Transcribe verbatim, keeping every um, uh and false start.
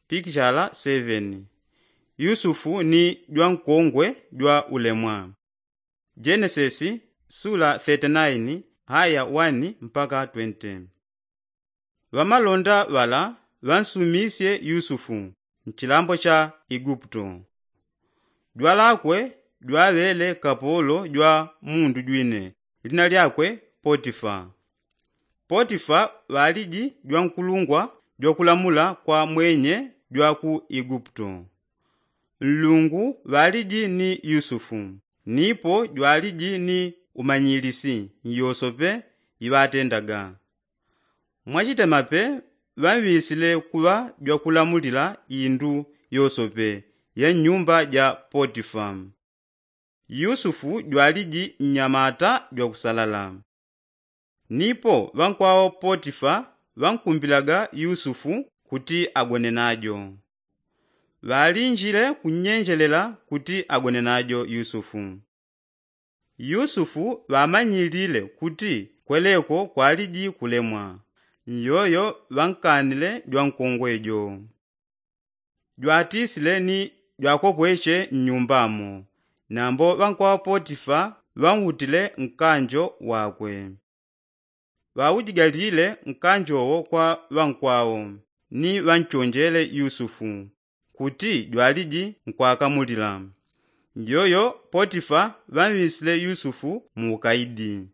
pikichala seveni. Yusufu ni jwankongwe jwa ulemwa. Jenesesi sula thirty-nine haya one mpaka twenty. Ŵamalonda ŵala ŵansumisye yusufu nchilambo cha iguputo. Jwalakwe jwaŵele kapolo jwa mundu jwine lina lyakwe potifa. Potifa ŵaliji jwankulungwa jwakulamula kwa mwenye jwa ku iguputo. Nlungu ŵaliji ni yusufu nipo jwaliji ni umanyilisi nyosope iŵatendaga. Mwachitemape ŵanŵisile kuŵa jwakulamulila indu yosope ya nnyumba ja potifa. Yusufu jwaliji nnyamata jwakusalala. Nipo ŵankwawo potifa ŵankumbilaga yusufu kuti agone najo. Ŵalinjile kunnyenjelela kuti agone najo yusufu. Yusufu ŵamanyilile kuti kweleko kwaliji kulemwa. Nyoyo ŵankanile jwankongwe jo. Jwatisile ni jwakopweche nnyumbamo. Nambo ŵankwawo potifa ŵanwutile nkanjo wakwe. Ŵaujigalile nkanjowo kwa ŵankwawo ni ŵanchonjele yusufu kuti jwaliji nkwakamulila. Njoyo potifa ŵanŵisile yusufu muukaidi.